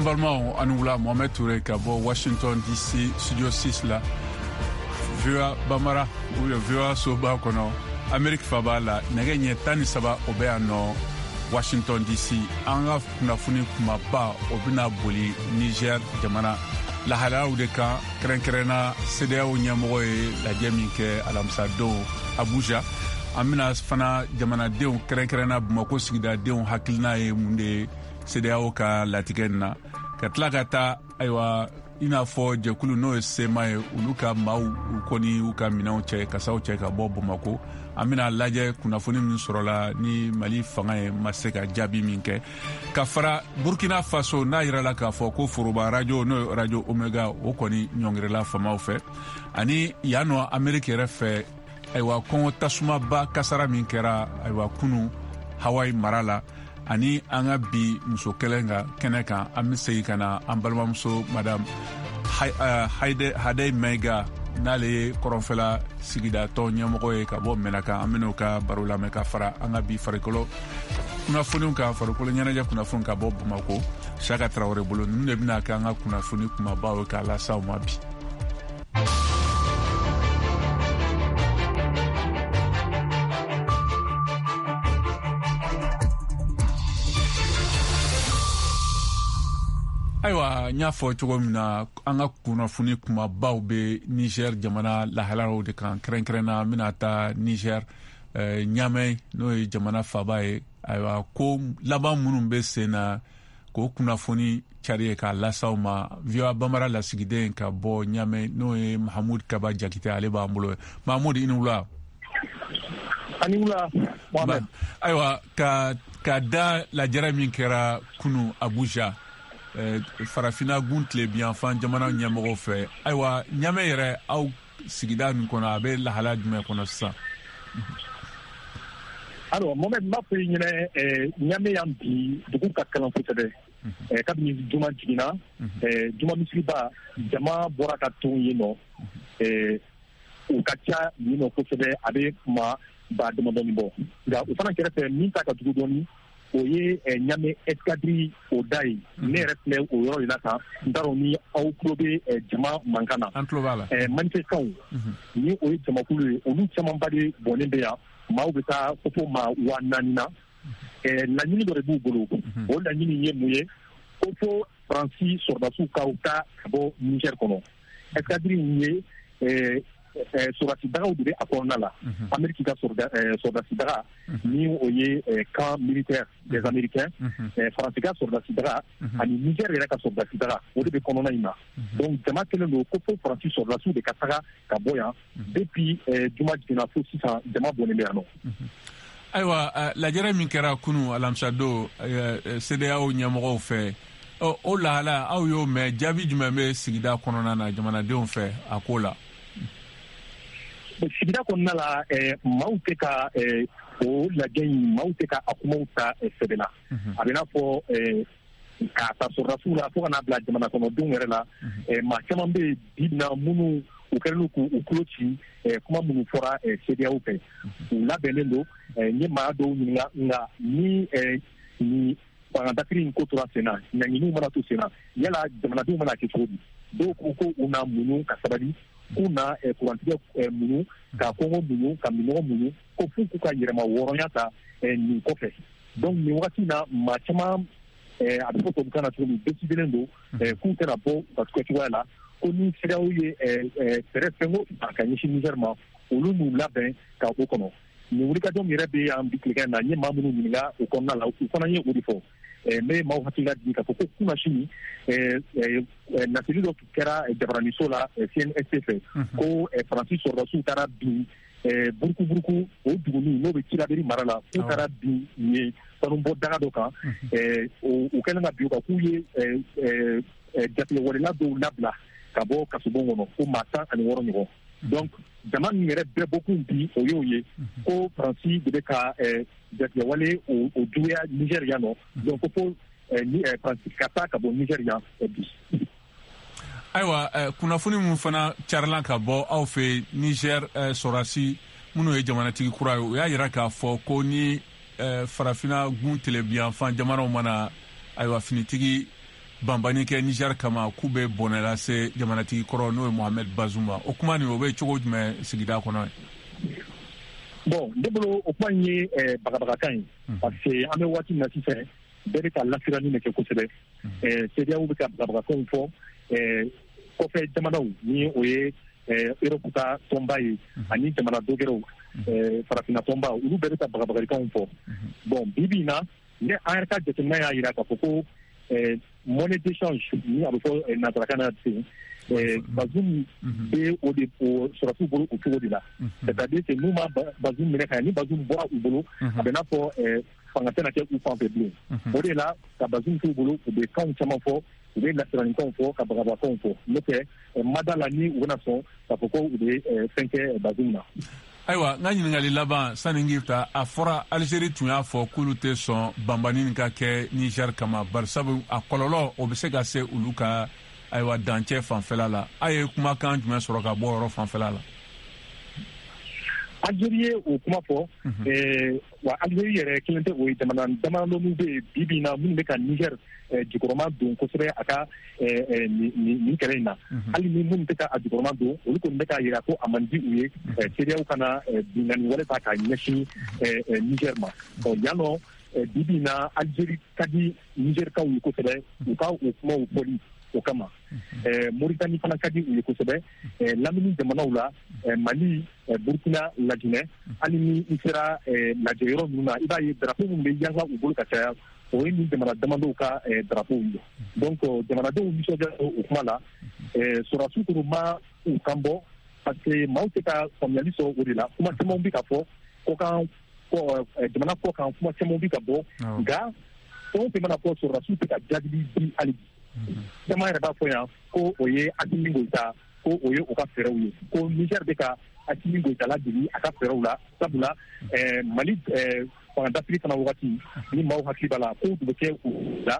An balimaw, aw ni wula. Mohamed Toure ka bɔ Washington DC, studio 6 la, VOA Bambara ou bien VOA soba kɔnɔ, Amerique faba la. Nɛgɛ ɲɛ 13, o bɛ yan nɔ Washington DC. An ka kunnafoni kumaba, o bɛna boli Niger jamana lahalayaw de kan, kɛrɛnkɛrɛnna CEDEAO ɲɛmɔgɔ ye lajɛ min kɛ alamisadon Abuja. An bɛna fana jamanadenw, kɛrɛnkɛrɛnna Bamako sigidadenw hakilina ye mun de ye CEDEAO ka latigɛ nin na, ka tila ka taa, ayiwa, i n'a fɔ jɛkulu n'o ye CMA ye, olu ka maaw, u kɔni y'u ka minɛnw cɛ, kasaw cɛ ka bɔ Bamako. An bɛna lajɛ kunnafoni min sɔrɔla ni Mali fanga ye ma se ka jaabi min kɛ, ka fara Burkina Faso n'a yirala k'a fɔ ko foroba radio, n'o ye Radio Omega, o kɔni ɲɔngirila famaw fɛ. Ani yan nɔ Ameriki yɛrɛ fɛ, ayiwa, kɔngɔ tasumaba kasara min kɛra, ayiwa, kunu Hawaii mara la. Ani an ka bi muso kɛlɛ ka kɛnɛ kan, an bɛ segin ka na an balimamuso Madame Hadey Maiga, n'ale ye kɔrɔnfɛla sigidatɔn ɲɛmɔgɔ ye ka bɔ Mɛnaka. An bɛn'o ka baro lamɛn, ka fara an ka bi farikolo kunnafoniw kan, farikolo ɲɛnajɛ kunnafoniw ka bɔ Bamako, Saka Tarawele bolo. Ninnu de bɛna kɛ an ka kunnafoni kumabaw ye k'a las'aw ma bi. Ayiwa, n y'a fɔ cogo min na, an ka kunnafoni kumabaw bɛ Niger jamana lahalaw de kan. Kɛrɛnkɛrɛnna, an bɛna taa Niger, Ɲamɛ, n'o ye jamana faba ye. Ayiwa, ko laban minnu bɛ sen na, k'o kunnafoni cari k'a las'aw ma. VOA Bambara lasigiden ka bɔ Ɲamɛ, n'o ye Mahamud Kaba Jakite, ale b'an bolo. Mahamud, i ni wula. Ani wula, Mohamed. Ayiwa, ka da lajɛrɛ min kɛra kunu Abuja, Farafina gun tilebiyanfan jamana ɲɛmɔgɔw fɛ, ayiwa, Ɲamɛ yɛrɛ, aw sigida nin kɔnɔ, a bɛ lahala jumɛn kɔnɔ sisan? Alors Mohamed, n b'a fɔ i ɲɛnɛ, Ɲamɛ yan bi, dugu ka kalan kosɛbɛ. Kabini juma jiginna, juma misiriba, jama bɔra ka ton yen nɔ. U ka ca yen nɔ kosɛbɛ, a bɛ maa ba damadɔni bɔ. Nka o fana kɛrɛfɛ, min ta ka jugu dɔɔni, o ye Ɲamɛ escadrille o da ye. Ne yɛrɛ filɛ o yɔrɔ de la tan. N t'a dɔn ni aw tulo bɛ jama mankan na. An tulo b'a la. Manifestants, ni o ye jamakulu ye, olu camanba de bɔnnen bɛ yan. Maaw bɛ taa fo maa 4000 na. Laɲini dɔ de b'u bolo. O laɲini ye mun ye? Ko fo Faransi sɔrɔdasiw ka taa ka bɔ Niger kɔnɔ. Escadrille in ye sɔrɔdasi dagaw de bɛ a kɔnɔna la. Amérique ka sɔrɔdasi daga, ni o ye camp militaire des Américains, Faransi ka sɔrɔdasi daga ani Niger yɛrɛ ka sɔrɔdasi daga, o de bɛ kɔnɔna in na. Donc jama kɛlen don ko fo Faransi sɔrɔdasiw de ka taga ka bɔ yan. Depuis juma jiginna fo sisan, jama bɔnnen bɛ yan nɔ. Ayiwa, lajɛrɛ min kɛra kunu alamisadon CEDEAO ɲɛmɔgɔw fɛ, o lahala, aw y'o mɛn, jaabi jumɛn bɛ sigida kɔnɔna na jamanadenw fɛ a ko la? Sigida kɔnɔna la, maaw tɛ ka o lajɛ in, maaw tɛ ka a kumaw ta sɛbɛ la. A bɛ n'a fɔ k'a ta sɔrɔdasiw la fo ka n'a bila jamana kɔnɔdenw yɛrɛ la, maa caman bɛ yen bi na minnu u kɛlen don k'u tulo ci kuma minnu fɔra CEDEAO fɛ. U labɛnnen don. N ye maa dɔw ɲininka, nka ni fanga dafiri in ko tora sen na, ɲanginiw mana to sen na, yala jamanadenw mana kɛ cogo di? Dɔw ko ko u na muɲu ka sabali, k'u na kurantigɛ muɲu, ka kɔngɔ muɲu, ka minɔgɔ muɲu, ko f'u k'u ka yɛrɛma hɔrɔnya ta nin kɔfɛ. Donc nin wagati na, maa caman, a bɛ fɔ tubabukan na cogo min, décidélen don k'u tɛna bɔ u ka cogoya la, ko ni CEDEAO ye fɛɛrɛ fɛn o fɛn ka ɲɛsin Niger ma, olu n'u labɛn ka o kɔnɔ. Nin wulikajɔ min yɛrɛ bɛ yan bi tilegan in na, n ye maa minnu ɲininka o kɔnɔna la, u fana ye o de fɔ. N bɛ maaw hakili lajigin k'a fɔ ko kunasini, laseli dɔ kɛra jabaraniso la CNSP fɛ, ko Faransi sɔrɔdasiw taara bin Burukuburuku, o duguni n'o bɛ Tilaberi mara la, k'u taara bin yen sanubɔ daga dɔ kan. U kɛlen ka bin o kan, k'u ye jatigɛwalela dɔw labila ka bɔ kasobon kɔnɔ, ko maa 16 ɲɔgɔn. Donc jama min yɛrɛ bɛɛ bɔkun bi, o y'o ye ko Faransi de bɛ ka jatigɛwale o juguya Niger yan nɔ. Donc ko fo Faransi ka taa ka bɔ Niger yan bi. Ayiwa, kunnafoni min fana carila ka bɔ aw fɛ Niger, sɔrɔdasi minnu ye jamanatigi kura ye, u y'a yira k'a fɔ ko ni Farafina gun tilebiyanfan jamanaw mana, ayiwa, finitigi Banbani kɛ Niger kama, k'u bɛ bɔnɛ lase jamanatigi kɔrɔ, n'o ye Mohamed Bazoum ma. O kuma nin, o bɛ cogo jumɛn sigida kɔnɔ? Bon, ne bolo, o kuma in ye bagabagakan ye, parce que an bɛ waati min na sisan, bɛɛ bɛ ka lasiranni de kɛ kosɛbɛ. CEDEAO bɛ ka bagabagakanw fɔ, kɔfɛ jamanaw, ni o ye Europe ka tɔnba ye, ani jamana dɔgɛrɛw, farafinna tɔnba, olu bɛɛ bɛ ka bagabagalikanw fɔ. Bon, bi bi in na, ne an yɛrɛ ka jateminɛ y'a jira k'a fɔ ko monnaie d'échange, ni a bɛ fɔ nansarakan na ten, Bazoum bɛ o de o sɔrɔsiw bolo o cogo de la. C'est à dire que n'u ma Bazoum minɛ ka ɲɛ, ni Bazoum bɔra u bolo, a bɛ n'a fɔ fanga tɛna kɛ u fan fɛ bilen. O de la ka Bazoum t'u bolo, u bɛ kanw caman fɔ, u bɛ lasiraninkanw fɔ, ka bagabagakanw fɔ. N'o tɛ, ma da la ni u bɛna sɔn k'a fɔ ko u bɛ fɛn kɛ Bazoum na. Ayiwa, n ka ɲininkali laban sani k'i ta, a fɔra Alizeri tun y'a fɔ k'olu tɛ sɔn banbani nin ka kɛ Niger kama, barisabu a kɔlɔlɔ, o bɛ se ka se olu ka, ayiwa, dancɛ fanfɛla la. A ye kumakan jumɛn sɔrɔ ka bɔ yɔrɔ fanfɛla la? Algérie ye o kuma fɔ. Wa Algérie yɛrɛ kelen tɛ, o ye jamana damadɔninw bɛ yen bi bi in na minnu bɛ ka Niger jukɔrɔma don kosɛbɛ a ka nin kɛlɛ in na. Hali ni minnu tɛ ka a jukɔrɔma don, olu kɔni bɛ k'a jira ko a man di u ye CEDEAO kana binkanni wɛrɛ ta k'a ɲɛsin Niger ma. Ɔ yan nɔ, bi bi in na, Algérie ka di Nigerkaw ye kosɛbɛ, u ka o kumaw fɔli o kama. Moritani fana ka di u ye kosɛbɛ. Lamini jamanaw la, Mali, Burkina, Laginɛ, hali ni i sera lajɛ yɔrɔ ninnu na, i b'a ye drapeau minnu bɛ yanga u bolo ka caya, o ye nin jamana damadɔw ka drapeau ye. Donc jamanadenw nisɔndiya o kuma la. Sɔrɔdasiw kɔni ma u kan bɔ, parce que maaw tɛ ka faamuyali sɔrɔ o de la. Kuma caman bɛ ka fɔ kɔkan, jamana kɔ kan, kuma caman bɛ ka bɔ, nka fɛn o fɛn mana fɔ, sɔrɔdasiw tɛ ka jaabi di hali bi. Caman yɛrɛ b'a fɔ yan ko o ye Asimi Goyita, ko o ye u ka fɛɛrɛw ye, ko Niger bɛ ka Asimi Goyita ladege a ka fɛɛrɛw la, sabula Mali fanga dafiri fana wagati, ni maaw hakili b'a la, kow tun bɛ kɛ u la,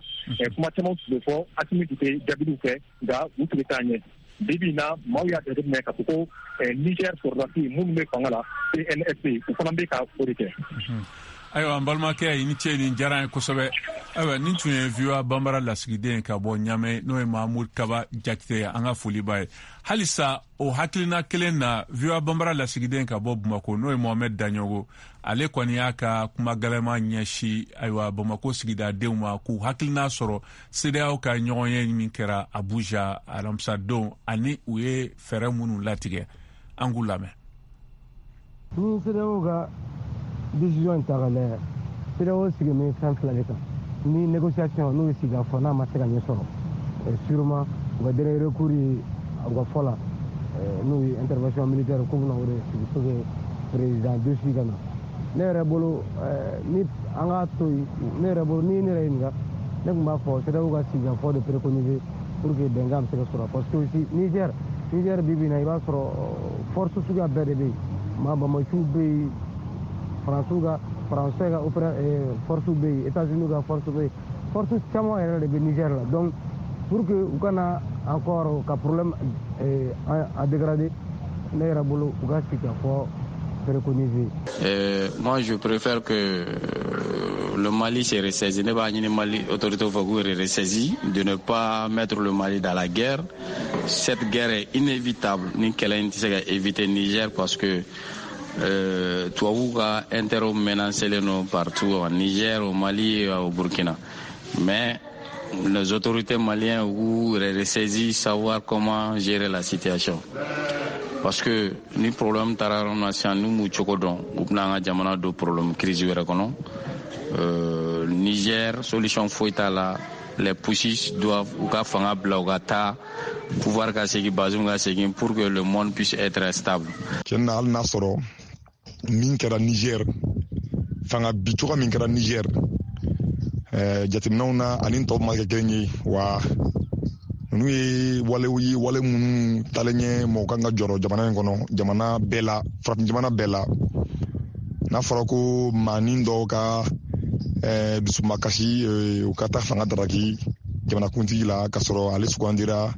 kuma caman tun bɛ fɔ, Asimi tun tɛ jaabiliw kɛ, nka u tun bɛ taa ɲɛ. Bi bi in na, maaw y'a jateminɛ k'a fɔ ko Niger sɔrɔdasi minnu bɛ fanga la, CNSP, u fana bɛ ka o de kɛ. Ayiwa, n balimakɛ, i ni ce, nin diyara n ye kosɛbɛ. Ayiwa, nin tun ye VOA Banbara lasigiden ka bɔ Ɲamɛ, n'o ye Mahamud Kaba Jakite ye. An ka foli b'a ye. Halisa o hakilina kelen na, VOA Banbara lasigiden ka bɔ Bamako, n'o ye Mohamɛd Daɲɔgɔ, ale kɔni y'a ka kuma gɛlɛma ɲɛsi, ayiwa, Bamako sigidadenw ma, k'u hakilina sɔrɔ CEDEAO ka ɲɔgɔnye min kɛra Abuja alamisadon, ani u ye fɛɛrɛ minnu latigɛ. An k'u lamɛn. Ni CEDEAO ka décision in ta ka lajɛ, CEDEAO sigi bɛ fɛn fila de kan. Ni négociation, n'o ye sigikafɔ, n'a ma se ka ɲɛ sɔrɔ, sûrement u ka dernier recours ye, u ka fɔ la, n'o ye intervention militaire, k'u bɛna o de sigi pour que président défi ka na. Ne yɛrɛ bolo, ni an k'a to yen, ne yɛrɛ bolo, ni ne yɛrɛ ɲininka, ne tun b'a fɔ CEDEAO ka sigikafɔ de préconiser pour que bɛnkan bɛ se ka sɔrɔ, parce que aussi Niger bi bi in na, i b'a sɔrɔ force suguya bɛɛ de bɛ yen. Maa bamaciw bɛ yen, Faransɛ ka opéra force bɛ yen, États-Unis ka force bɛ yen, force caman yɛrɛ de bɛ Niger la. Donc pour que u kana encore ka problème a dégrader, ne yɛrɛ bolo, u ka sigikafɔ préconiser. Moi, je préfère que le Mali se ressaisit. Ne b'a ɲini Mali autorité fɛ k'u yɛrɛ ressaisi, de ne pas mettre le Mali dans la guerre. Cette guerre est inévitable. Ni kɛlɛ in tɛ se ka éviter Niger, parce que tubabuw ka intérêt menacelen don partout, au Niger, au Mali et au Burkina. Mais les autorités maliennes u yɛrɛ ressaisi, savoir comment gérer la situation. Parce que ni problème taara yɔrɔ min na sisan, n'u m'u cogo dɔn, u bɛna an ka jamana don problème crise wɛrɛ kɔnɔ. Niger, solution foyi t'a la. Les putschistes doivent u ka fanga bila, u ka taa, pouvoir ka segin, Bazoum ka segin, pour que le monde puisse être stable. Tiɲɛ na, hali n'a sɔrɔ min kɛra Niger, fanga bi cogo min kɛra Niger, jateminɛw na ani tɔw ma kɛ kelen ye wa. Ninnu ye walew ye, wale minnu talen ɲɛ mɔgɔ kan ka jɔrɔ jamana in kɔnɔ, jamana bɛɛ la, farafin jamana bɛɛ la. N'a fɔra ko maanin dɔw ka dusumakasi, u ka taa fanga daraki jamanakuntigi la, k'a sɔrɔ ale sugandira.